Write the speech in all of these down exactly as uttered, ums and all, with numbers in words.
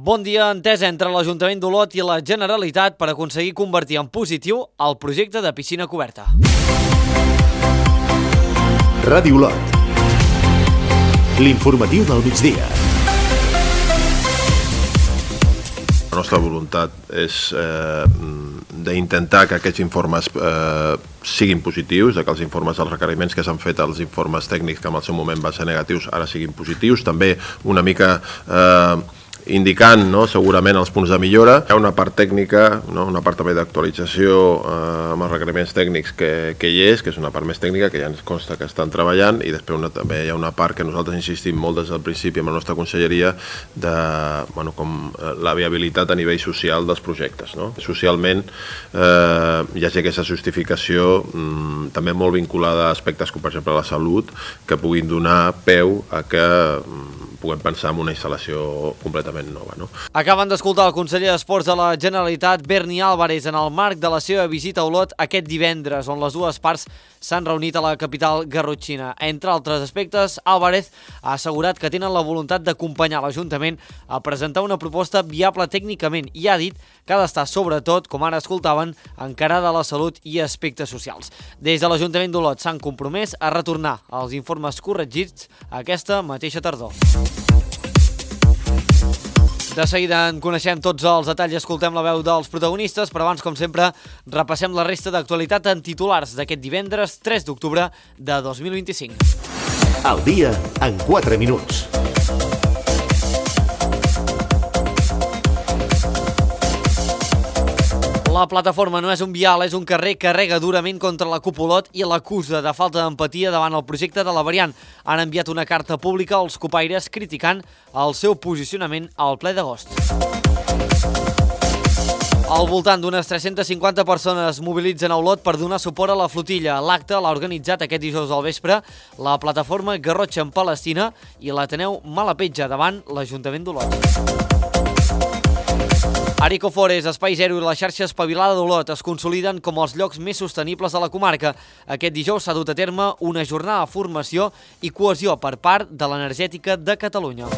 Bon dia, entesa entre l'Ajuntament d'Olot i la Generalitat per aconseguir convertir en positiu el projecte de piscina coberta. Ràdio Olot. L'informatiu del migdia. La nostra voluntat és eh, d'intentar que aquests informes eh, siguin positius, que els informes, els requeriments que s'han fet, els informes tècnics que en el seu moment van ser negatius, ara siguin positius. També una mica eh, indicant, no, segurament els punts de millora. Hi ha una part tècnica, no, una part també d'actualització eh, amb els requeriments tècnics que, que hi és, que és una part més tècnica, que ja ens consta que estan treballant, i després una, també hi ha una part que nosaltres insistim molt des del principi amb la nostra conselleria de, bueno, com la viabilitat a nivell social dels projectes, no? Socialment eh, hi hagi aquesta justificació mm, també molt vinculada a aspectes com per exemple la salut, que puguin donar peu a que mm, puguem pensar en una instal·lació completament nova, no? Acaben d'escoltar el conseller d'Esports de la Generalitat, Berni Álvarez, en el marc de la seva visita a Olot aquest divendres, on les dues parts s'han reunit a la capital garrotxina. Entre altres aspectes, Álvarez ha assegurat que tenen la voluntat d'acompanyar l'Ajuntament a presentar una proposta viable tècnicament i ha dit que ha d'estar sobretot, com ara escoltaven, encarada a la salut i aspectes socials. Des de l'Ajuntament d'Olot s'han compromès a retornar els informes corregits aquesta mateixa tardor. De seguida en coneixem tots els detalls i escoltem la veu dels protagonistes, però abans, com sempre, repassem la resta d'actualitat en titulars d'aquest divendres tres d'octubre de dos mil vint-i-cinc. El dia en quatre minuts. La plataforma No és un vial, és un carrer que carrega durament contra la CUP Olot i l'acusa de falta d'empatia davant el projecte de la variant. Han enviat una carta pública als copaires criticant el seu posicionament al ple d'agost. Al voltant d'unes tres-centes cinquanta persones mobilitzen a Olot per donar suport a la flotilla. L'acte l'ha organitzat aquest dijous al vespre la plataforma Garrotxa en Palestina i l'Ateneu Malapetja davant l'Ajuntament d'Olot. Arico Forest, Espai Zero i la xarxa espavilada d'Olot es consoliden com els llocs més sostenibles de la comarca. Aquest dijous s'ha dut a terme una jornada de formació i cohesió per part de l'Energètica de Catalunya.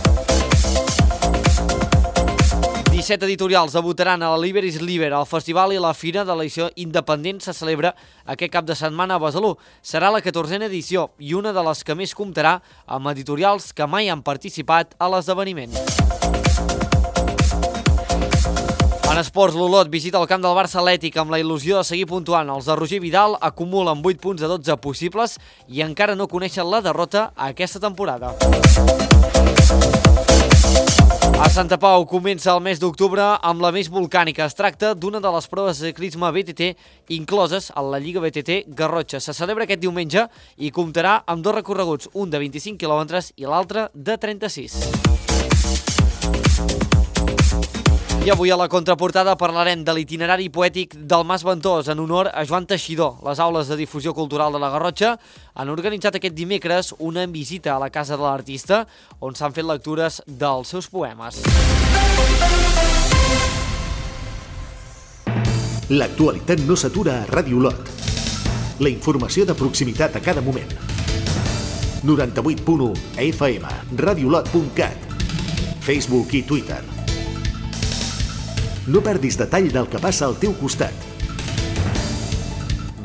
disset editorials debutaran a la Liber is Liber. El festival i la fira de l'edició independent se celebra aquest cap de setmana a Besalú. Serà la catorzena edició i una de les que més comptarà amb editorials que mai han participat a l'esdeveniment. En esports, l'Olot visita el camp del Barça Atlètic amb la il·lusió de seguir puntuant. Els de Roger Vidal acumulen vuit punts de dotze possibles i encara no coneixen la derrota aquesta temporada. A Santa Pau comença el mes d'octubre amb la més volcànica. Es tracta d'una de les proves de ciclisme B T T incloses a la Lliga B T T Garrotxa. Se celebra aquest diumenge i comptarà amb dos recorreguts, un de vint-i-cinc quilòmetres i l'altre de trenta-sis. I avui a la contraportada parlarem de l'itinerari poètic del Mas Ventós en honor a Joan Teixidor. Les aules de difusió cultural de la Garrotxa han organitzat aquest dimecres una visita a la casa de l'artista on s'han fet lectures dels seus poemes. L'actualitat no s'atura a Ràdio Olot. La informació de proximitat a cada moment. noranta-vuit punt u F M, radiolot punt cat, Facebook i Twitter. No perdis detall del que passa al teu costat.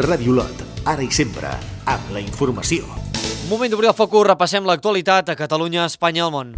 Ràdio Olot, ara i sempre, amb la informació. Moment d'obrir el focus, repassem l'actualitat a Catalunya, Espanya i el món.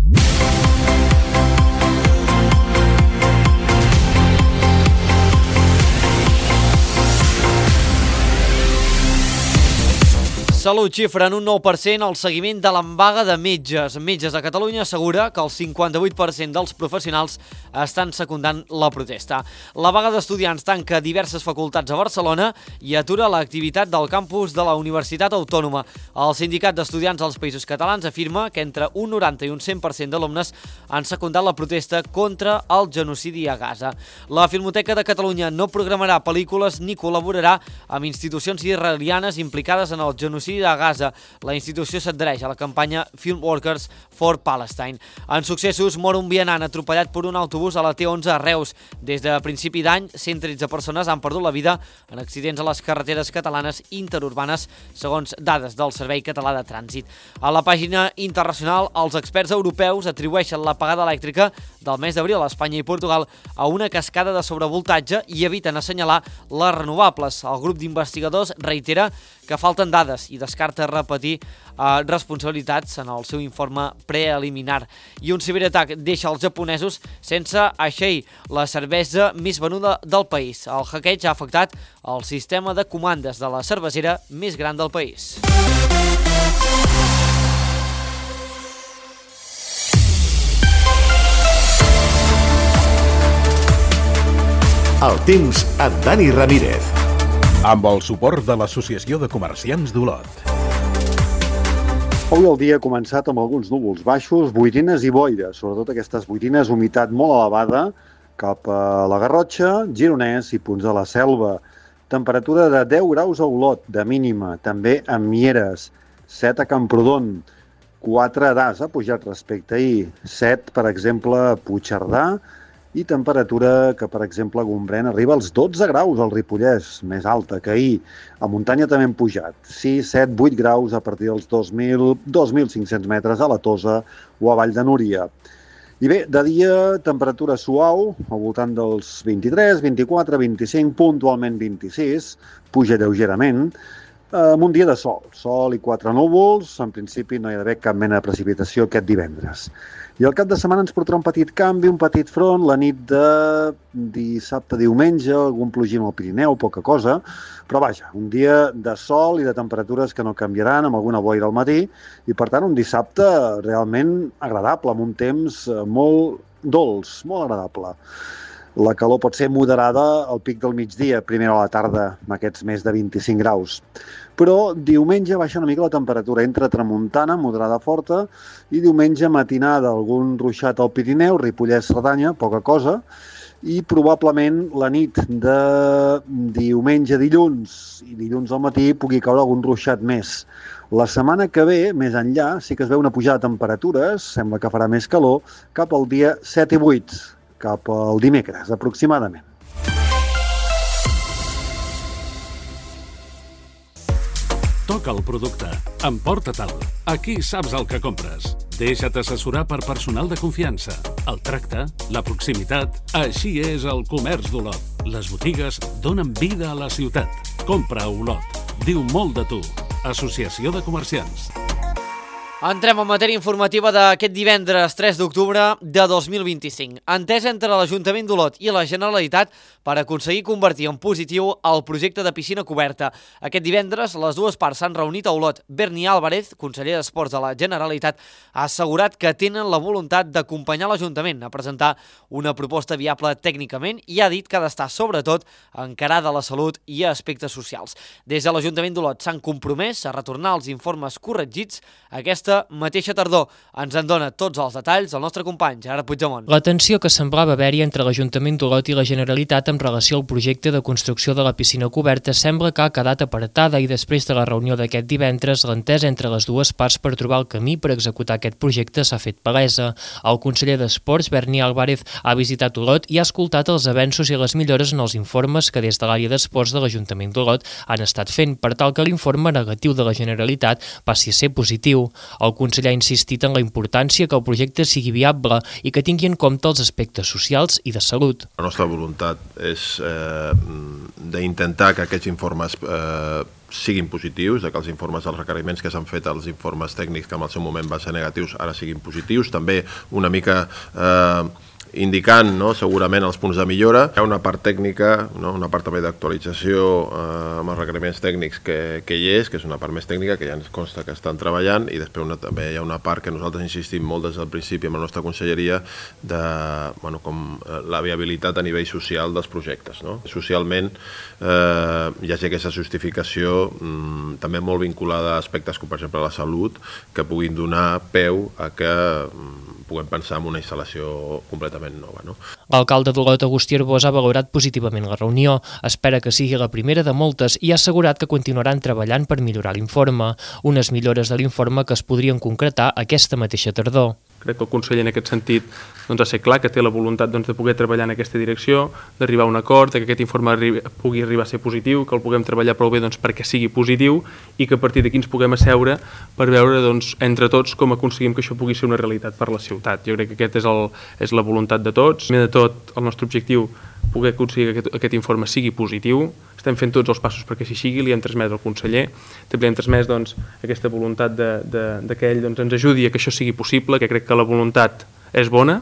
Salut xifra en un nou per cent el seguiment de l'embaga de metges. Metges de Catalunya assegura que el cinquanta-vuit per cent dels professionals estan secundant la protesta. La vaga d'estudiants tanca diverses facultats a Barcelona i atura l'activitat del campus de la Universitat Autònoma. El Sindicat d'Estudiants dels Països Catalans afirma que entre un noranta i un cent per cent d'alumnes han secundat la protesta contra el genocidi a Gaza. La Filmoteca de Catalunya no programarà pel·lícules ni col·laborarà amb institucions israelianes implicades en el genocidi genocidi de Gaza, la institució s'adhereix a la campanya Film Workers for Palestine. En successos, mor un vianant atropellat per un autobús a la T onze a Reus. Des de principi d'any, cent tretze persones han perdut la vida en accidents a les carreteres catalanes interurbanes, segons dades del Servei Català de Trànsit. A la pàgina internacional, els experts europeus atribueixen l'apagada elèctrica del mes d'abril a Espanya i Portugal a una cascada de sobrevoltatge i eviten assenyalar les renovables. El grup d'investigadors reitera que falten dades i descarta repetir eh, responsabilitats en el seu informe preliminar. I un ciberatac deixa els japonesos sense així la cervesa més venuda del país. El hackeig ha afectat el sistema de comandes de la cervesera més gran del país. El temps amb Dani Ramírez. Amb el suport de l'Associació de Comerciants d'Olot. Avui el dia ha començat amb alguns núvols baixos, boirines i boira, sobretot aquestes boirines, humitat molt elevada cap a la Garrotxa, Gironès i punts de la Selva. Temperatura de deu graus a Olot, de mínima, també a Mieres, set a Camprodon, quatre a Das, ha pujat respecte a ahir, set, per exemple, a Puigcerdà, i temperatura que, per exemple, a Gombrèn arriba als dotze graus al Ripollès, més alta que ahir. A muntanya també han pujat, sis, set, vuit graus a partir dels dos mil, dos mil cinc-cents metres a la Tosa o a Vall de Núria. I bé, de dia, temperatura suau, al voltant dels vint-i-tres, vint-i-quatre, vint-i-cinc, puntualment vint-i-sis, puja lleugerament, amb un dia de sol, sol i quatre núvols, en principi no hi ha d'haver cap mena de precipitació aquest divendres. I el cap de setmana ens portarà un petit canvi, un petit front, la nit de dissabte a diumenge, algun plogim al Pirineu, poca cosa, però vaja, un dia de sol i de temperatures que no canviaran, amb alguna boira al matí, i per tant un dissabte realment agradable, amb un temps molt dolç, molt agradable. La calor pot ser moderada al pic del migdia, primera a la tarda, amb aquests més de vint-i-cinc graus. Però diumenge baixa una mica la temperatura, entra tramuntana, moderada forta, i diumenge matinada, algun ruixat al Pirineu, Ripollès, Cerdanya, poca cosa, i probablement la nit de diumenge a dilluns i dilluns al matí pugui caure algun ruixat més. La setmana que ve, més enllà, sí que es veu una pujada de temperatures, sembla que farà més calor, cap al dia set i vuit, cap al dimecres, aproximadament. Toca el producte. Emporta-te'l. Aquí saps el que compres. Deixa't assessorar per personal de confiança. El tracte, la proximitat... Així és el comerç d'Olot. Les botigues donen vida a la ciutat. Compra a Olot. Diu molt de tu. Associació de Comerciants. Entrem en matèria informativa d'aquest divendres tres d'octubre de dos mil vint-i-cinc. Entesa entre l'Ajuntament d'Olot i la Generalitat per aconseguir convertir en positiu el projecte de piscina coberta. Aquest divendres les dues parts s'han reunit a Olot. Berni Álvarez, conseller d'Esports de la Generalitat, ha assegurat que tenen la voluntat d'acompanyar l'Ajuntament a presentar una proposta viable tècnicament i ha dit que ha d'estar sobretot encarada a la salut i a aspectes socials. Des de l'Ajuntament d'Olot s'han compromès a retornar els informes corregits a aquesta mateixa tardor. Ens en dona tots els detalls el nostre company Gerard Puigdemont. La tensió que semblava haver-hi entre l'Ajuntament d'Olot i la Generalitat en relació al projecte de construcció de la piscina coberta sembla que ha quedat apartada i després de la reunió d'aquest divendres l'entesa entre les dues parts per trobar el camí per executar aquest projecte s'ha fet palesa. El conseller d'Esports, Berni Álvarez, ha visitat Olot i ha escoltat els avenços i les millores en els informes que des de l'àrea d'esports de l'Ajuntament d'Olot han estat fent per tal que l'informe negatiu de la Generalitat passi a ser positiu. El conseller ha insistit en la importància que el projecte sigui viable i que tingui en compte els aspectes socials i de salut. La nostra voluntat és eh, d'intentar que aquests informes eh, siguin positius, que els informes dels requeriments que s'han fet, els informes tècnics que en el seu moment van ser negatius, ara siguin positius. També una mica... Eh, indicant no, segurament els punts de millora. Hi ha una part tècnica, no, una part també d'actualització eh, amb els requeriments tècnics que, que hi és, que és una part més tècnica, que ja ens consta que estan treballant, i després una, també hi ha una part que nosaltres insistim molt des del principi amb la nostra conselleria de bueno, com la viabilitat a nivell social dels projectes. No? Socialment eh, hi hagi aquesta justificació mm, també molt vinculada a aspectes com per exemple la salut, que puguin donar peu a que mm, puguem pensar en una instal·lació completament completament nova. No? L'alcalde d'Olot, Agustí Arbós, ha valorat positivament la reunió. Espera que sigui la primera de moltes i ha assegurat que continuaran treballant per millorar l'informe. Unes millores de l'informe que es podrien concretar aquesta mateixa tardor. Crec que el conseller en aquest sentit doncs, ha ser clar que té la voluntat doncs, de poder treballar en aquesta direcció, d'arribar a un acord, que aquest informe arribi, pugui arribar a ser positiu, que el puguem treballar prou bé doncs, perquè sigui positiu i que a partir d'aquí ens puguem asseure per veure doncs, entre tots com aconseguim que això pugui ser una realitat per la ciutat. Jo crec que aquesta és, el, és la voluntat de tots. Primer de tot, el nostre objectiu poder aconseguir que aquest, aquest informe sigui positiu. Estem fent tots els passos perquè així sigui, li hem transmès al conseller, també li hem transmès doncs, aquesta voluntat de, de, de que ell doncs, ens ajudi a que això sigui possible, que crec que la voluntat és bona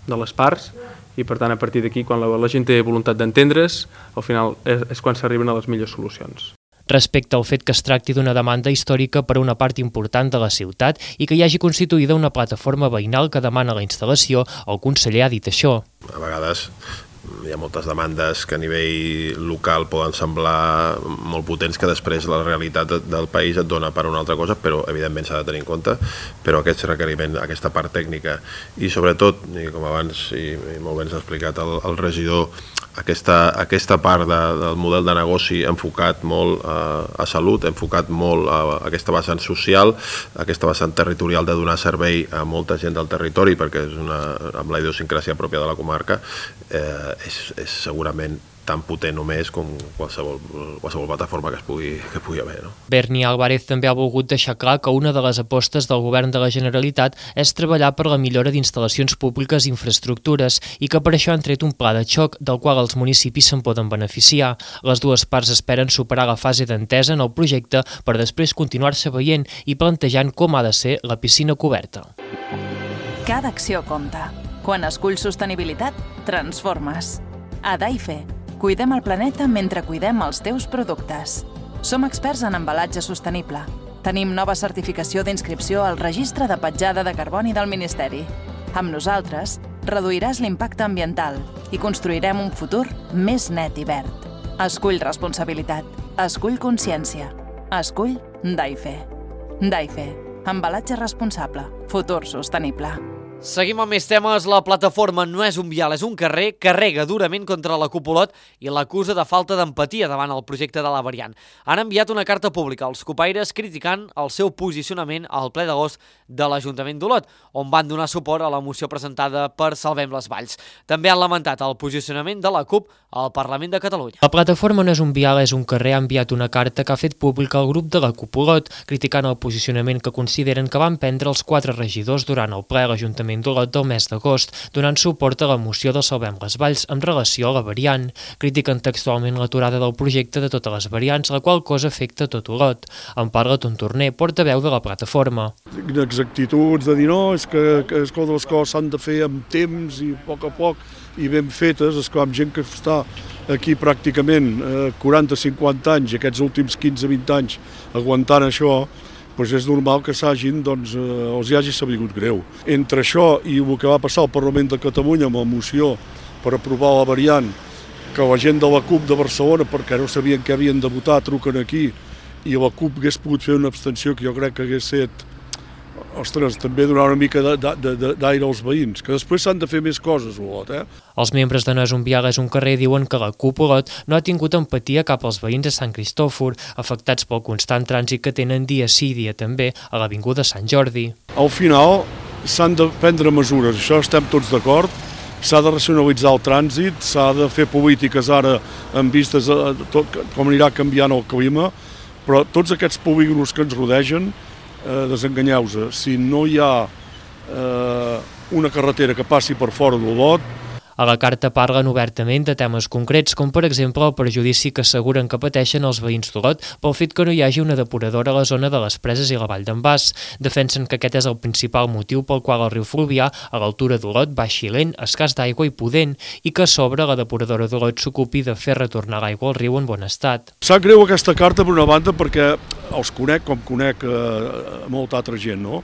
de les parts i per tant a partir d'aquí quan la, la gent té voluntat d'entendre's, al final és, és quan s'arriben a les millors solucions. Respecte al fet que es tracti d'una demanda històrica per a una part important de la ciutat i que hi hagi constituïda una plataforma veïnal que demana la instal·lació, el conseller ha dit això. A vegades hi ha moltes demandes que a nivell local poden semblar molt potents que després la realitat del país et dona per una altra cosa, però evidentment s'ha de tenir en compte, però aquest requeriment, aquesta part tècnica i sobretot, i com abans i, i molt bé ens ha explicat el, el regidor, aquesta, aquesta part de, del model de negoci enfocat molt a, a salut, enfocat molt a, a aquesta vessant social, aquesta vessant territorial de donar servei a molta gent del territori, perquè és una, amb la idiosincràsia pròpia de la comarca, eh, és, és segurament tan potent o més com qualsevol, qualsevol plataforma que es pugui, que pugui haver. No? Berni Álvarez també ha volgut deixar clar que una de les apostes del govern de la Generalitat és treballar per la millora d'instal·lacions públiques i infraestructures i que per això han tret un pla de xoc del qual els municipis se'n poden beneficiar. Les dues parts esperen superar la fase d'entesa en el projecte per després continuar-se veient i plantejant com ha de ser la piscina coberta. Cada acció compta. Quan esculls sostenibilitat, transformes. A Daife, cuidem el planeta mentre cuidem els teus productes. Som experts en embalatge sostenible. Tenim nova certificació d'inscripció al Registre de Petjada de Carboni del Ministeri. Amb nosaltres, reduiràs l'impacte ambiental i construirem un futur més net i verd. Escull responsabilitat. Escull consciència. Escull Daife. Daife. Embalatge responsable. Futur sostenible. Seguim amb més temes. La plataforma No és un vial, és un carrer, carrega durament contra la Cupolot i l'acusa de falta d'empatia davant el projecte de la variant. Han enviat una carta pública als copaires criticant el seu posicionament al ple d'agost de l'Ajuntament d'Olot, on van donar suport a la moció presentada per Salvem les Valls. També han lamentat el posicionament de la CUP al Parlament de Catalunya. La plataforma No és un vial, és un carrer ha enviat una carta que ha fet pública al grup de la Cupolot, criticant el posicionament que consideren que van prendre els quatre regidors durant el ple a l'Ajuntament d'Olot del mes d'agost, donant suport a la moció de Salvem les Valls en relació a la variant. Critiquen textualment l'aturada del projecte de totes les variants, la qual cosa afecta tot Olot. En parla Tontorner, portaveu de la plataforma. Exactituds de dir no, és que, que és que les coses s'han de fer amb temps i a poc a poc i ben fetes, és que amb gent que està aquí pràcticament eh, quaranta a cinquanta anys, aquests últims quinze a vint anys aguantant això, doncs és normal que s'hagin, doncs, eh, els hi hagi sabut greu. Entre això i el que va passar al Parlament de Catalunya amb la moció per aprovar la variant, que la gent de la CUP de Barcelona, perquè no sabien què havien de votar, truquen aquí, i la CUP hagués pogut fer una abstenció que jo crec que hagués set, ostres, també donar una mica d'aire als veïns, que després s'han de fer més coses, Olot, eh? Els membres de No és un vial, és un carrer diuen que la CUP Olot no ha tingut empatia cap als veïns de Sant Cristòfor, afectats pel constant trànsit que tenen dia sí dia també a l'avinguda Sant Jordi. Al final s'han de prendre mesures, això estem tots d'acord, s'ha de racionalitzar el trànsit, s'ha de fer polítiques ara en vistes a tot com anirà canviant el clima, però tots aquests polígons que ens rodegen, eh, desenganyeu-se, si no hi ha eh, una carretera que passi per fora d'Olot. A la carta parlen obertament de temes concrets, com per exemple el perjudici que asseguren que pateixen els veïns d'Olot pel fet que no hi hagi una depuradora a la zona de les Preses i la Vall d'en Bas. Defensen que aquest és el principal motiu pel qual el riu Fluvià, a l'altura d'Olot, baixi lent, escàs d'aigua i pudent, i que a sobre la depuradora d'Olot s'ocupi de fer retornar l'aigua al riu en bon estat. Sap greu aquesta carta per una banda perquè els conec com conec eh, molta altra gent, no?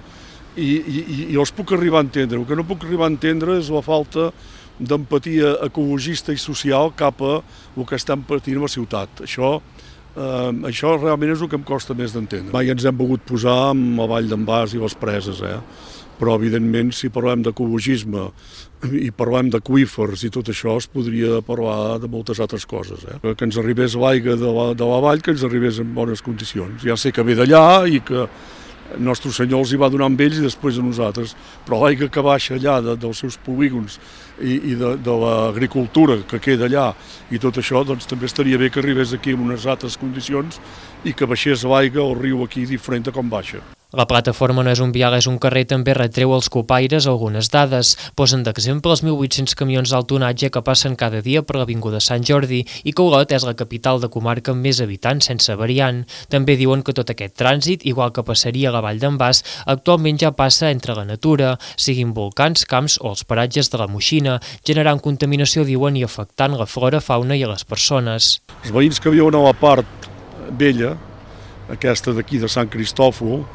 I, i, i els puc arribar a entendre. El que no puc arribar a entendre és la falta d'empatia ecologista i social cap a el que estem patint a la ciutat. Això Uh, això realment és el que em costa més d'entendre. Mai ens hem volgut posar amb la Vall d'en Bas i les preses, eh? Però evidentment si parlem d'ecologisme i parlem d'aqüífers i tot això es podria parlar de moltes altres coses. Eh? Que ens arribés l'aigua de, la, de la vall, que ens arribés en bones condicions. Ja sé que ve d'allà i que el nostre senyor els hi va donar amb ells i després a nosaltres, però l'aigua que baixa allà de, dels seus polígons i, i de, de l'agricultura que queda allà i tot això, doncs també estaria bé que arribés aquí en unes altres condicions i que baixés l'aigua al riu aquí diferent de com baixa. La plataforma No és un vial, és un carrer també retreu als copaires algunes dades. Posen d'exemple els mil vuit-cents camions d'alt tonatge que passen cada dia per l'avinguda Sant Jordi i que Olot és la capital de comarca amb més habitants sense variant. També diuen que tot aquest trànsit, igual que passaria a la Vall d'en Bas, actualment ja passa entre la natura, siguin volcans, camps o els paratges de la Moixina, generant contaminació, diuen, i afectant la flora, fauna i a les persones. Els veïns que viuen a la part vella, aquesta d'aquí de Sant Cristòfol,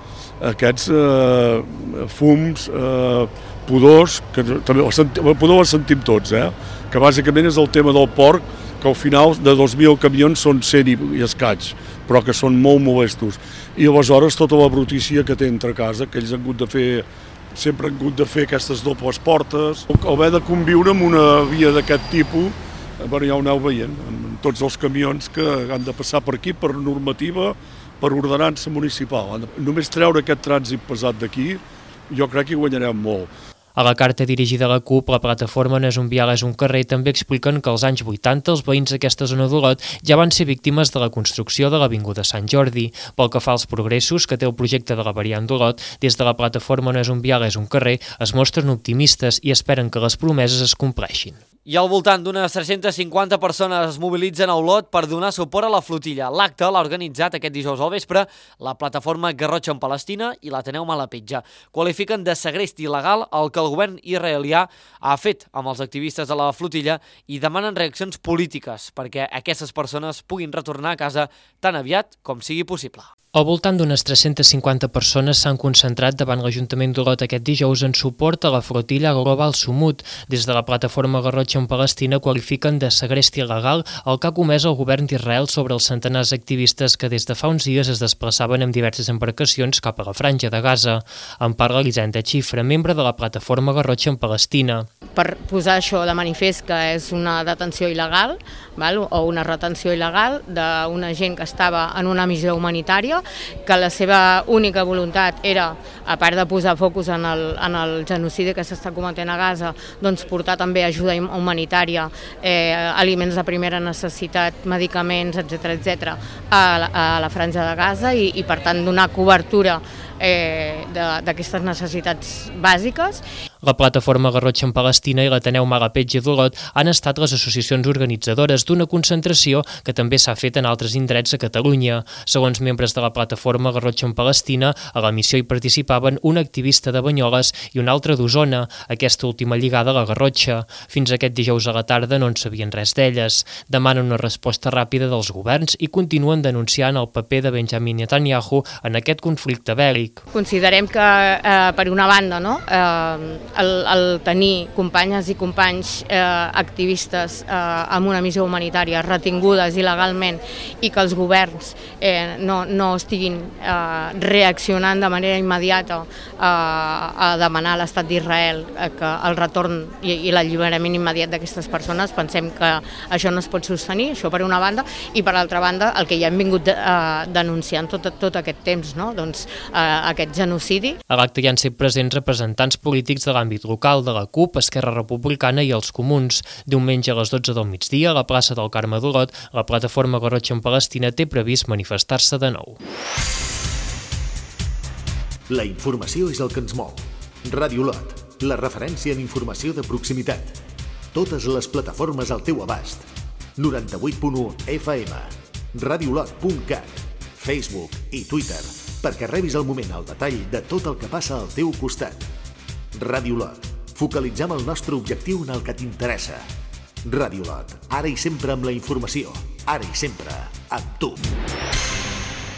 aquests eh, fums, eh, pudors, que també el, senti, el pudor el sentim tots, eh? Que bàsicament és el tema del porc, que al final de dos mil camions són cent i, i escaig, però que són molt molestos. I aleshores tota la brutícia que té entre casa, que ells han hagut de fer, sempre han hagut de fer aquestes dobles portes, haver de conviure amb una via d'aquest tipus, bueno, ja ho aneu veient, amb tots els camions que han de passar per aquí per normativa, per ordenança municipal. Només treure aquest trànsit pesat d'aquí, jo crec que hi guanyarem molt. A la carta dirigida a la CUP, la plataforma No és un vial, és un carrer, també expliquen que als anys vuitanta els veïns d'aquesta zona d'Olot ja van ser víctimes de la construcció de l'avinguda Sant Jordi. Pel que fa als progressos que té el projecte de la variant d'Olot, des de la plataforma No és un vial, és un carrer, es mostren optimistes i esperen que les promeses es compleixin. I al voltant d'unes tres-centes cinquanta persones es mobilitzen a Olot per donar suport a la flotilla. L'acte l'ha organitzat aquest dijous al vespre la plataforma Garrotxa en Palestina i l'Ateneu Malapetja. Qualifiquen de segrest il·legal el que el govern israelià ha fet amb els activistes de la flotilla i demanen reaccions polítiques perquè aquestes persones puguin retornar a casa tan aviat com sigui possible. Al voltant d'unes tres-centes cinquanta persones s'han concentrat davant l'Ajuntament d'Olot aquest dijous en suport a la flotilla Global Sumut. Des de la plataforma Garrotxa en Palestina qualifiquen de segrest il·legal el que ha comès el govern d'Israel sobre els centenars d'activistes que des de fa uns dies es desplaçaven amb diverses embarcacions cap a la franja de Gaza. En parla Elisenda Xifra, membre de la plataforma Garrotxa en Palestina. Per posar això de manifest que és una detenció il·legal, val? O una retenció il·legal d'una gent que estava en una missió humanitària, que la seva única voluntat era, a part de posar focus en el, en el genocidi que s'està cometent a Gaza, doncs portar també ajuda humanitària, eh, aliments de primera necessitat, medicaments, etcètera, etcètera, a, a la franja de Gaza i, i per tant donar cobertura eh, d'aquestes necessitats bàsiques. La plataforma Garrotxa en Palestina i l'Ateneu Malapetja d'Olot han estat les associacions organitzadores d'una concentració que també s'ha fet en altres indrets a Catalunya. Segons membres de la plataforma Garrotxa en Palestina, a la missió hi participaven un activista de Banyoles i un altre d'Osona, aquesta última lligada a la Garrotxa. Fins aquest dijous a la tarda no en sabien res d'elles. Demanen una resposta ràpida dels governs i continuen denunciant el paper de Benjamin Netanyahu en aquest conflicte bèl·lic. Considerem que, eh, per una banda, no, eh, El, el tenir companyes i companys eh, activistes eh, amb una missió humanitària retingudes il·legalment i que els governs eh, no, no estiguin eh, reaccionant de manera immediata eh, a demanar a l'estat d'Israel eh, que el retorn i, i l'alliberament immediat d'aquestes persones, pensem que això no es pot sostenir, això per una banda, i per altra banda el que ja hem vingut de, eh, denunciant tot, tot aquest temps, no? Doncs, eh, aquest genocidi. A l'acte hi han set presents representants polítics de l'àmbit local de la CUP, Esquerra Republicana i els Comuns. Diumenge a les dotze del migdia, a la plaça del Carme d'Olot, la plataforma Garrotxa en Palestina té previst manifestar-se de nou. La informació és el que ens mou. Ràdio Olot, la referència en informació de proximitat. Totes les plataformes al teu abast. noranta-vuit punt u F M, radiolot punt cat, Facebook i Twitter, perquè rebis al moment el detall de tot el que passa al teu costat. Ràdio Olot. Focalitzem el nostre objectiu en el que t'interessa. Ràdio Olot. Ara i sempre amb la informació. Ara i sempre amb tu.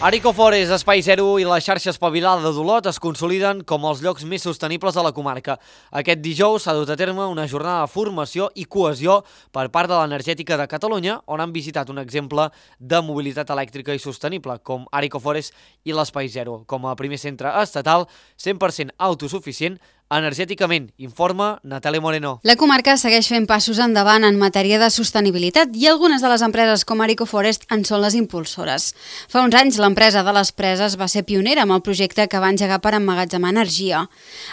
Arico Forest, Espai Zero i la xarxa espavilada d'Olot es consoliden com els llocs més sostenibles de la comarca. Aquest dijous s'ha dut a terme una jornada de formació i cohesió per part de l'Energètica de Catalunya, on han visitat un exemple de mobilitat elèctrica i sostenible, com Arico Forest i l'Espai Zero, com a primer centre estatal cent per cent autosuficient energèticament, informa Natàlia Moreno. La comarca segueix fent passos endavant en matèria de sostenibilitat i algunes de les empreses com Arico Forest en són les impulsores. Fa uns anys l'empresa de les preses va ser pionera amb el projecte que va engegar per emmagatzemar energia.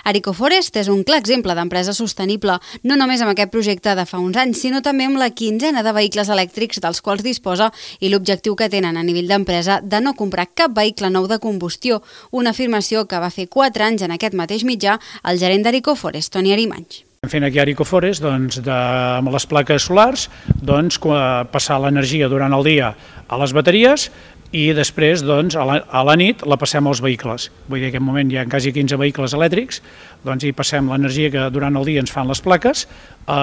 Arico Forest és un clar exemple d'empresa sostenible, no només amb aquest projecte de fa uns anys, sinó també amb la quinzena de vehicles elèctrics dels quals disposa i l'objectiu que tenen a nivell d'empresa de no comprar cap vehicle nou de combustió, una afirmació que va fer quatre anys en aquest mateix mitjà el gerent d'Arico Forest, Toni Arimanys. Fent aquí a Arico Forest, doncs, de, amb les plaques solars, doncs, passar l'energia durant el dia a les bateries i després doncs, a, la, a la nit la passem als vehicles. Vull dir que en aquest moment hi ha quasi quinze vehicles elèctrics, doncs hi passem l'energia que durant el dia ens fan les plaques, eh,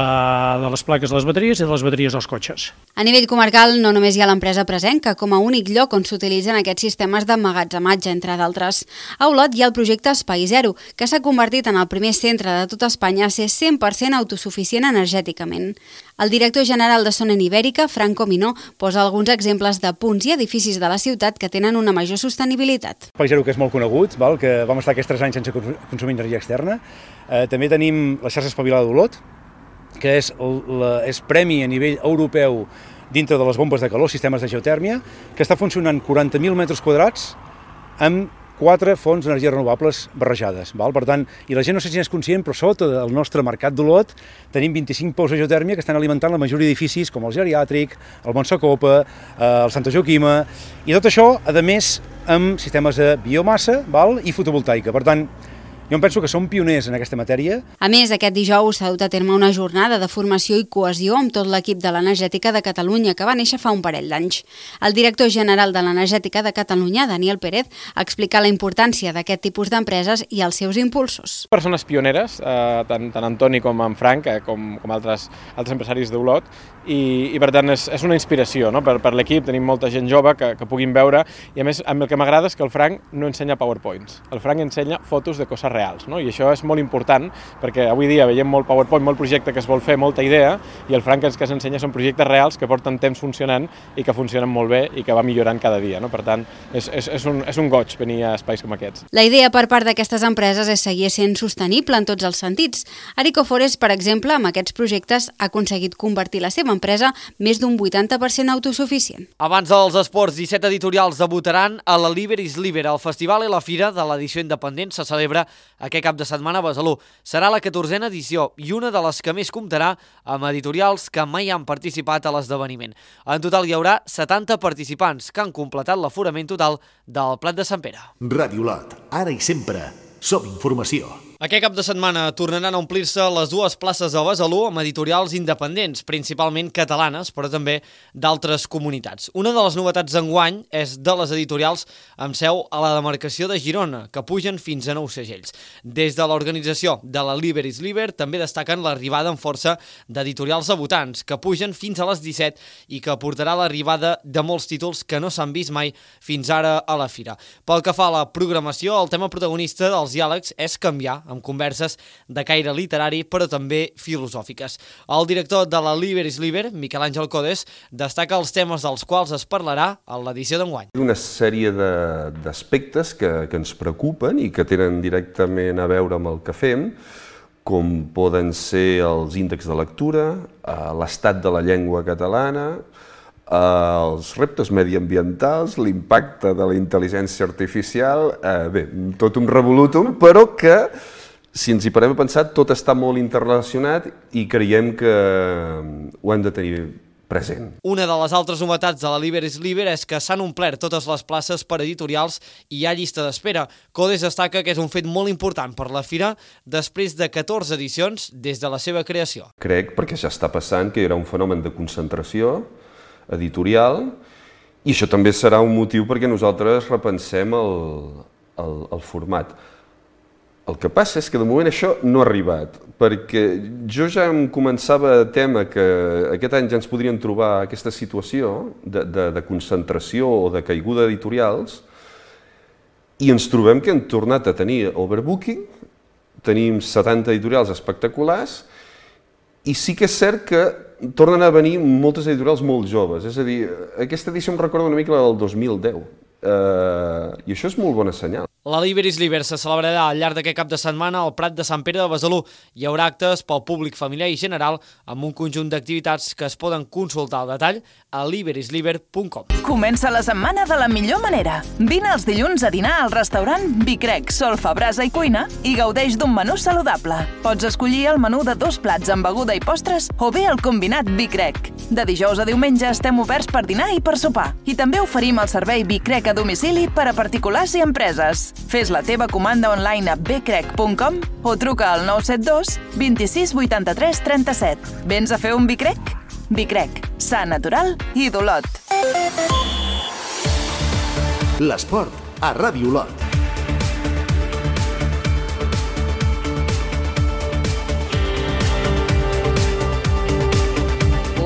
de les plaques de les bateries i de les bateries dels cotxes. A nivell comarcal no només hi ha l'empresa Presenca com a únic lloc on s'utilitzen aquests sistemes d'emmagatzematge, entre d'altres. A Olot hi ha el projecte Espai Zero, que s'ha convertit en el primer centre de tot Espanya a ser cent per cent autosuficient energèticament. El director general de Sonen Ibèrica, Franco Minó, posa alguns exemples de punts i edificis de la ciutat que tenen una major sostenibilitat. Espai Zero, que és molt conegut, val? Que vam estar aquests tres anys sense consumir energia externa. Eh, també tenim la xarxa espavilada d'Olot, que és, la, és premi a nivell europeu dintre de les bombes de calor, sistemes de geotèrmia, que està funcionant quaranta mil metres quadrats amb quatre fonts d'energies renovables barrejades. Val? Per tant, i la gent no sé si n'és conscient, però sota del nostre mercat d'Olot tenim vint-i-cinc pous de geotèrmia que estan alimentant la majoria d'edificis com el Geriàtric, el Montsacopa, eh, el Santa Joaquima, i tot això, a més, amb sistemes de biomassa, val? I fotovoltaica. Per tant, jo em penso que som pioners en aquesta matèria. A més, aquest dijous s'ha dut a terme una jornada de formació i cohesió amb tot l'equip de l'Energètica de Catalunya, que va néixer fa un parell d'anys. El director general de l'Energètica de Catalunya, Daniel Pérez, ha explicat la importància d'aquest tipus d'empreses i els seus impulsors. Persones pioneres, eh, tant, tant Antoni com en Frank, eh, com, com altres, altres empresaris d'Olot, i, i per tant és, és una inspiració, no? per, per l'equip. Tenim molta gent jove que, que puguin veure, i a més el que m'agrada és que el Frank no ensenya PowerPoints, el Frank ensenya fotos de coses reals, no? I això és molt important perquè avui dia veiem molt PowerPoint, molt projecte que es vol fer, molta idea, i el Frank ens que s'ensenya són projectes reals que porten temps funcionant i que funcionen molt bé i que va millorant cada dia, no? Per tant, és, és, és, un, és un goig venir a espais com aquests. La idea per part d'aquestes empreses és seguir sent sostenible en tots els sentits. Arico Forest, per exemple, amb aquests projectes ha aconseguit convertir la seva empresa més d'un vuitanta per cent autosuficient. Abans dels esports, disset editorials debutaran a la Liber is Liber. El festival i la fira de l'edició independent se celebra aquest cap de setmana a Besalú. Serà la catorzena edició i una de les que més comptarà amb editorials que mai han participat a l'esdeveniment. En total hi haurà setanta participants que han completat l'aforament total del Plat de Sant Pere. Ràdio Olot, ara i sempre, som informació. Aquest cap de setmana tornaran a omplir-se les dues places de Besalú amb editorials independents, principalment catalanes, però també d'altres comunitats. Una de les novetats d'enguany és de les editorials amb seu a la demarcació de Girona, que pugen fins a nou segells. Des de l'organització de la Liber is Liber també destaquen l'arribada en força d'editorials debutants, que pugen fins a les disset i que portarà l'arribada de molts títols que no s'han vist mai fins ara a la fira. Pel que fa a la programació, el tema protagonista dels diàlegs és canviar, amb converses de caire literari però també filosòfiques. El director de la Liber is Liber, Miquel Àngel Codes, destaca els temes dels quals es parlarà a l'edició d'enguany. Una sèrie d'aspectes que, que ens preocupen i que tenen directament a veure amb el que fem, com poden ser els índexs de lectura, l'estat de la llengua catalana, els reptes mediambientals, l'impacte de la intel·ligència artificial, eh, bé, tot un revolutum, però que, si ens hi parem a pensar, tot està molt interrelacionat i creiem que ho hem de tenir present. Una de les altres novetats de la Liber is Liber és que s'han omplert totes les places per editorials i hi ha llista d'espera. Codes destaca que és un fet molt important per la fira després de catorze edicions des de la seva creació. Crec, perquè ja està passant, que hi haurà un fenomen de concentració editorial, i això també serà un motiu perquè nosaltres repensem el, el, el format. El que passa és que de moment això no ha arribat, perquè jo ja em començava a temer que aquest any ja ens podríem trobar aquesta situació de, de, de concentració o de caiguda d'editorials, i ens trobem que hem tornat a tenir overbooking, tenim setanta editorials espectaculars, i sí que és cert que tornen a venir moltes editorials molt joves. És a dir, aquesta edició em recorda una mica la del dos mil deu, uh, i això és molt bona senyal. La Liber is Liber se celebrarà al llarg d'aquest cap de setmana al Prat de Sant Pere de Besalú. Hi haurà actes pel públic familiar i general amb un conjunt d'activitats que es poden consultar al detall a liberisliber punt com. Comença la setmana de la millor manera. Vine els dilluns a dinar al restaurant Vicrec, Solfa, Brasa i Cuina i gaudeix d'un menú saludable. Pots escollir el menú de dos plats amb beguda i postres o bé el combinat Vicrec. De dijous a diumenge estem oberts per dinar i per sopar. I també oferim el servei Vicrec a domicili per a particulars i empreses. Fes la teva comanda online a becrec punt com o truca al nou set dos vint-i-sis vuitanta-tres trenta-set. Vens a fer un Vicrec? Vicrec, sa, natural i d'Olot. L'esport a Ràdio Olot.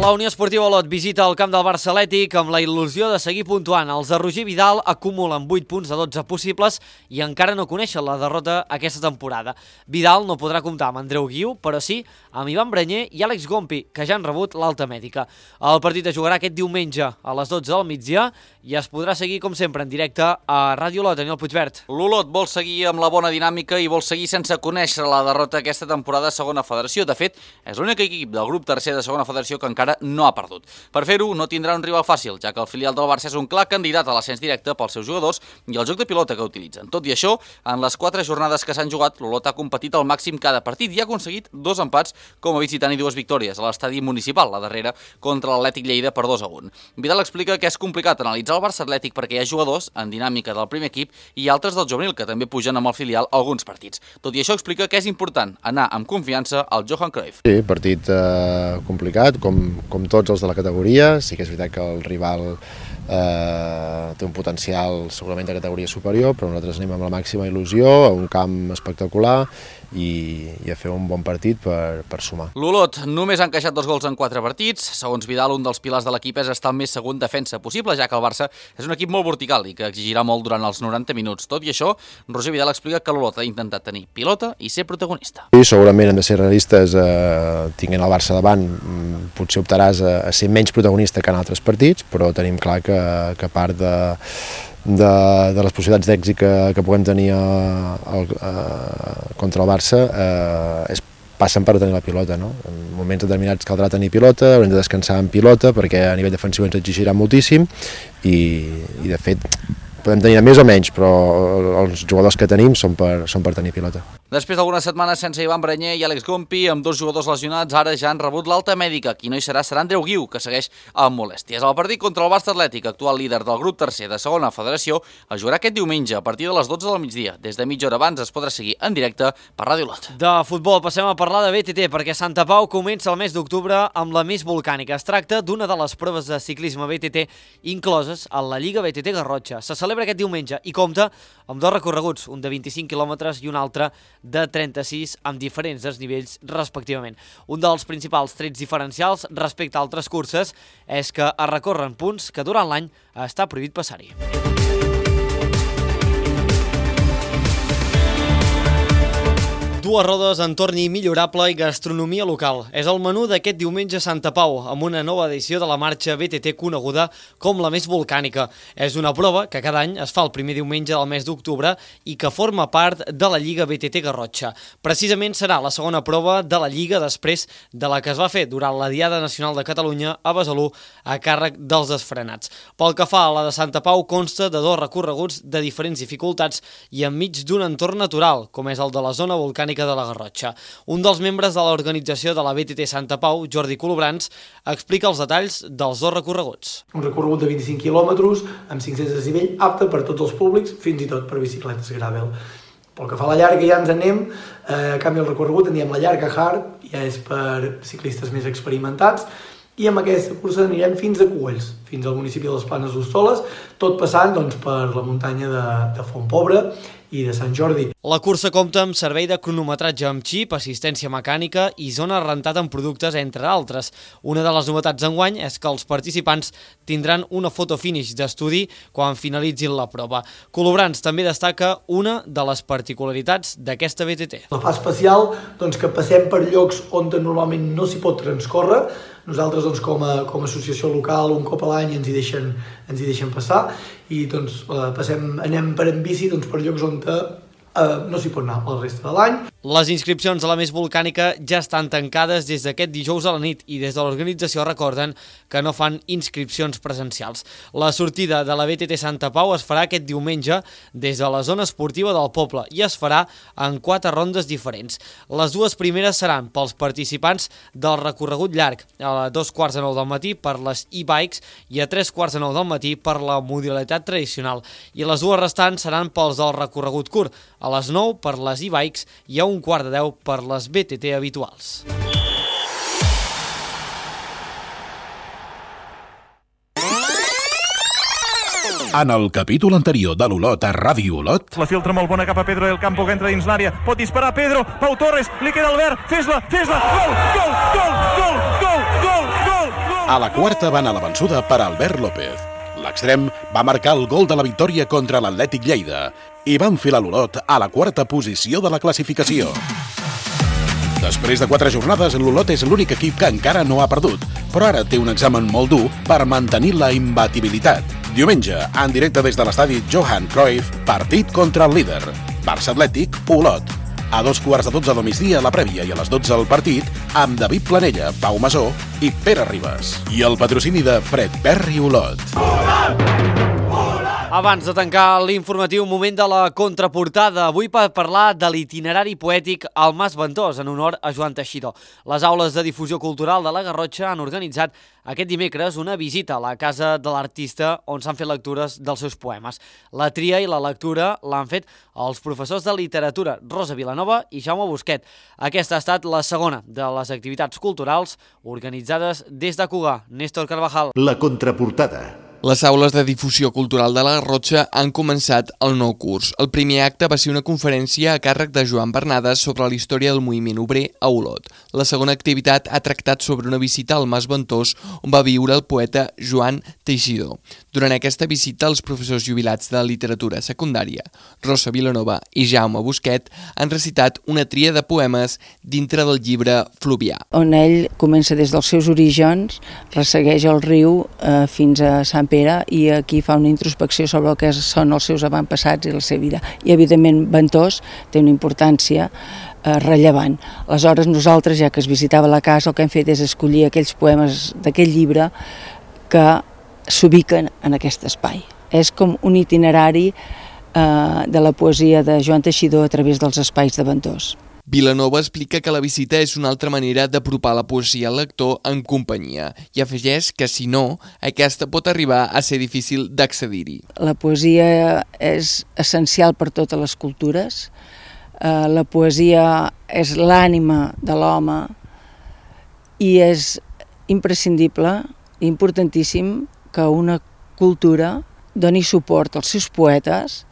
La Unió Esportiva Olot visita el camp del Barça Atlètic amb la il·lusió de seguir puntuant. Els de Roger Vidal acumulen vuit punts de dotze possibles i encara no coneixen la derrota aquesta temporada. Vidal no podrà comptar amb Andreu Guiu, però sí amb Ivan Branyer i Àlex Gompi, que ja han rebut l'alta mèdica. El partit es jugarà aquest diumenge a les dotze del migdia i es podrà seguir, com sempre, en directe a Ràdio Olot. Daniel Puigvert. L'Olot vol seguir amb la bona dinàmica i vol seguir sense conèixer la derrota aquesta temporada a segona federació. De fet, és l'únic equip del grup tercer de segona federació que encara no ha perdut. Per fer-ho, no tindrà un rival fàcil, ja que el filial del Barça és un clar candidat a l'ascens directe pels seus jugadors i el joc de pilota que utilitzen. Tot i això, en les quatre jornades que s'han jugat, l'Olot ha competit al màxim cada partit i ha aconseguit dos empats com a visitant i dues victòries a l'estadi municipal, la darrera contra l'Atlètic Lleida per dos a un. Vidal explica que és complicat analitzar el Barça Atlètic perquè hi ha jugadors en dinàmica del primer equip i altres del juvenil que també pugen amb el filial alguns partits. Tot i això, explica que és important anar amb confiança al Johan Cruyff. Sí, partit eh, complicat, com, com tots els de la categoria. Sí que és veritat que el rival eh, té un potencial segurament de categoria superior, però nosaltres anem amb la màxima il·lusió, a un camp espectacular i, i a fer un bon partit per, per sumar. L'Olot només ha encaixat dos gols en quatre partits. Segons Vidal, un dels pilars de l'equip és estar el més segur en defensa possible, ja que el Barça és un equip molt vertical i que exigirà molt durant els noranta minuts. Tot i això, Roger Vidal explica que l'Olot ha intentat tenir pilota i ser protagonista. Sí, segurament hem de ser realistes, eh, tinguent el Barça davant, potser optaràs a, a ser menys protagonista que en altres partits, però tenim clar que, que a part de De, de les possibilitats d'èxit que, que puguem tenir a, a, a, contra el Barça eh, és, passen per tenir la pilota, no? En moments determinats caldrà tenir pilota, haurem de descansar en pilota perquè a nivell defensiu ens exigirà moltíssim i, i de fet podem tenir més o menys, però els jugadors que tenim són per, són per tenir pilota. Després d'algunes setmanes sense Ivan Branyer i Àlex Gompi, amb dos jugadors lesionats, ara ja han rebut l'alta mèdica. Qui no hi serà serà Andreu Guiu, que segueix amb molèsties. El partit contra el Barça Atlètic, actual líder del grup tercer de segona federació, es jugarà aquest diumenge a partir de les dotze del migdia. Des de mitja hora abans es podrà seguir en directe per Ràdio Olot. De futbol passem a parlar de B T T, perquè Santa Pau comença el mes d'octubre amb la més volcànica. Es tracta d'una de les proves de ciclisme B T T incloses a la Lliga B T T Garrotxa. Se celebra aquest diumenge i compta amb dos recorreguts, un de vint-i-cinc quilòmetres i un altre de trenta-sis, amb diferents desnivells respectivament. Un dels principals trets diferencials respecte a altres curses és que es recorren punts que durant l'any està prohibit passar-hi. Dues rodes, entorn millorable i gastronomia local. És el menú d'aquest diumenge a Santa Pau, amb una nova edició de la marxa B T T coneguda com la més volcànica. És una prova que cada any es fa el primer diumenge del mes d'octubre i que forma part de la Lliga B T T Garrotxa. Precisament serà la segona prova de la Lliga després de la que es va fer durant la Diada Nacional de Catalunya a Besalú a càrrec dels desfrenats. Pel que fa a la de Santa Pau, consta de dos recorreguts de diferents dificultats i enmig d'un entorn natural, com és el de la zona volcànica de la Garrotxa. Un dels membres de l'organització de la B T T Santa Pau, Jordi Colobrans, explica els detalls dels dos recorreguts. Un recorregut de vint-i-cinc quilòmetres amb cinc-cents de desnivell, apte per tots els públics, fins i tot per bicicletes gravel. Pel que fa a la llarga ja ens anem, eh, a canvi el recorregut en diem la llarga hard, ja és per ciclistes més experimentats, i amb aquesta cursa anirem fins a Cubells, fins al municipi de les Planes d'Hostoles, tot passant doncs, per la muntanya de, de Fontpobre i de Sant Jordi. La cursa compta amb servei de cronometratge amb xip, assistència mecànica i zona rentada amb productes, entre altres. Una de les novetats d'enguany és que els participants tindran una foto finish d'estudi quan finalitzin la prova. Colobrants també destaca una de les particularitats d'aquesta B T T. La fa especial doncs, que passem per llocs on normalment no s'hi pot transcórrer. Nosaltres, doncs, com a, com a associació local, un cop a l'any ens hi deixen, ens hi deixen passar i doncs, passem, anem per en bici doncs, per llocs on Uh, no s'hi pot anar el resta de l'any. Les inscripcions a la Més Volcànica ja estan tancades des d'aquest dijous a la nit i des de l'organització recorden que no fan inscripcions presencials. La sortida de la B T T Santa Pau es farà aquest diumenge des de la zona esportiva del poble i es farà en quatre rondes diferents. Les dues primeres seran pels participants del recorregut llarg, a dos quarts de nou del matí per les e-bikes i a tres quarts de nou del matí per la modalitat tradicional. I les dues restants seran pels del recorregut curt, a les nou per les e-bikes i a un quart de deu per les B T T habituals. En el capítol anterior de l'Olot a Ràdio Olot... La filtra molt bona cap a Pedro del Campo, que entra dins l'àrea. Pot disparar Pedro, Pau Torres, li queda Albert, fes-la, fes-la, gol, gol, gol, gol, gol, gol, gol, gol. A la quarta van a la vençuda per Albert López. L'extrem va marcar el gol de la victòria contra l'Atlètic Lleida i va enfilar l'Olot a la quarta posició de la classificació. Després de quatre jornades, l'Olot és l'únic equip que encara no ha perdut, però ara té un examen molt dur per mantenir la imbatibilitat. Diumenge, en directe des de l'estadi Johan Cruyff, partit contra el líder, Barça Atlètic, Olot. A dos quarts de dotze del migdia la prèvia i a les dotze el partit amb David Planella, Pau Masó i Pere Ribas. I el patrocini de Fred Perry Olot. Abans de tancar l'informatiu, moment de la contraportada. Avui per parlar de l'itinerari poètic al Mas Ventós, en honor a Joan Teixidor. Les aules de difusió cultural de la Garrotxa han organitzat aquest dimecres una visita a la casa de l'artista on s'han fet lectures dels seus poemes. La tria i la lectura l'han fet els professors de literatura Rosa Vilanova i Jaume Busquet. Aquesta ha estat la segona de les activitats culturals organitzades des de Cugar. Néstor Carvajal. La contraportada. Les aules de difusió cultural de la Garrotxa han començat el nou curs. El primer acte va ser una conferència a càrrec de Joan Bernades sobre la història del moviment obrer a Olot. La segona activitat ha tractat sobre una visita al Mas Ventós on va viure el poeta Joan Teixidor. Durant aquesta visita, els professors jubilats de literatura secundària, Rosa Vilanova i Jaume Busquet, han recitat una tria de poemes dintre del llibre Fluvià. On ell comença des dels seus orígens, ressegueix el riu eh, fins a Sant Pere i aquí fa una introspecció sobre el que són els seus avantpassats i la seva vida. I evidentment Ventós té una importància eh, rellevant. Aleshores nosaltres, ja que es visitava la casa, el que hem fet és escollir aquells poemes d'aquest llibre que s'ubiquen en aquest espai. És com un itinerari eh, de la poesia de Joan Teixidor a través dels espais de Ventós. Vilanova explica que la visita és una altra manera d'apropar la poesia al lector en companyia i afegeix que, si no, aquesta pot arribar a ser difícil d'accedir-hi. La poesia és essencial per totes les cultures. La poesia és l'ànima de l'home i és imprescindible, importantíssim, que una cultura doni suport als seus poetes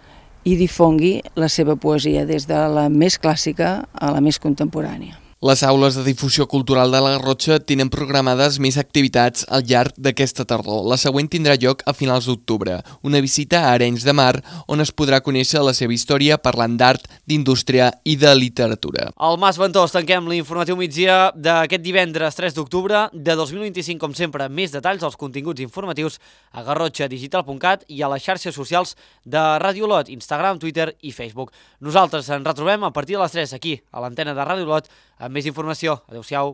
i difongui la seva poesia des de la més clàssica a la més contemporània. Les aules de difusió cultural de la Garrotxa tenen programades més activitats al llarg d'aquesta tardor. La següent tindrà lloc a finals d'octubre, una visita a Arenys de Mar on es podrà conèixer la seva història parlant d'art, d'indústria i de literatura. Al Mas Ventós tanquem l'informatiu migdia d'aquest divendres tres d'octubre de dos mil vint-i-cinc, com sempre, més detalls als continguts informatius a garrotxa digital punt cat i a les xarxes socials de Ràdio Olot, Instagram, Twitter i Facebook. Nosaltres ens retrobem a partir de les tres aquí, a l'antena de Ràdio Olot, amb més informació. Adéu-siau.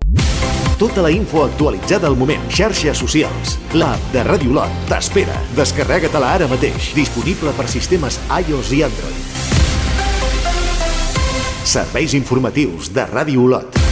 Tota la info actualitzada al moment. Xarxes socials. L'app de Ràdio Olot t'espera. Descarrega-te-la ara mateix. Disponible per sistemes iOS i Android. Serveis informatius de Ràdio Olot.